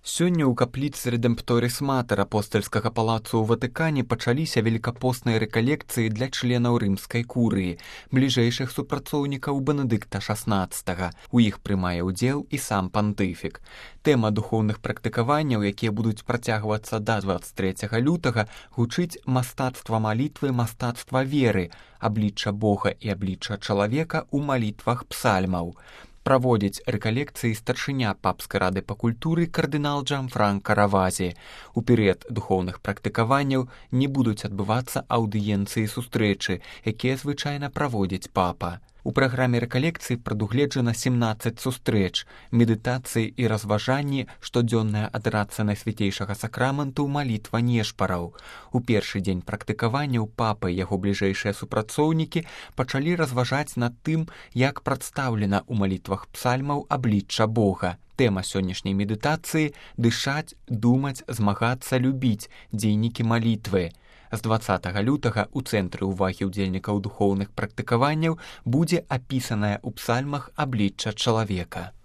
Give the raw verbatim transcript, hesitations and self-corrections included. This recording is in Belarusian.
Сёння ў капліцы Редемпторис Матер апостальскага палацу ў Ватыкане пачаліся велікапосныя рэкалекцыі для членаў рымскай курыі, бліжэйшых супрацоўнікаў Бенедыкта шаснаццатага. У іх прымае ўдзел і сам пантыфік. Тэма духоўных практыкаванняў, якія будуць працягвацца да дваццаць трэцяга лютага, гучыць мастацтва малітвы, мастацтва веры, аблічча Бога і аблічча чалавека ў малітвах псальмаў. Праводзіць рэкалекцыі старшыня папскай рады па культуры кардынал Джанфранка Равазі. У перыяд духоўных практыкаванняў не будуць адбывацца аўдыенцыі сустрэчы, якія звычайна праводзіць папа. У праграме рэкалекцыі прадугледжана сямнаццаць сустрэч, медытацыі і разважанні, штодзённая адэрацыя найсвяцейшага сакраменту, малітва нешпараў. У першы дзень практыкаванняў папа і яго бліжэйшыя супрацоўнікі пачалі разважаць над тым, як прадстаўлена ў малітвах псальмаў аблічча Бога. Тэма сённяшняй медытацыі – дышаць, думаць, змагацца, любіць, дзейнікі малітвы. З дваццатага лютага ў цэнтры ўвагі ўдзельнікаў духоўных практыкаванняў будзе апісаная ў псальмах аблічча чалавека.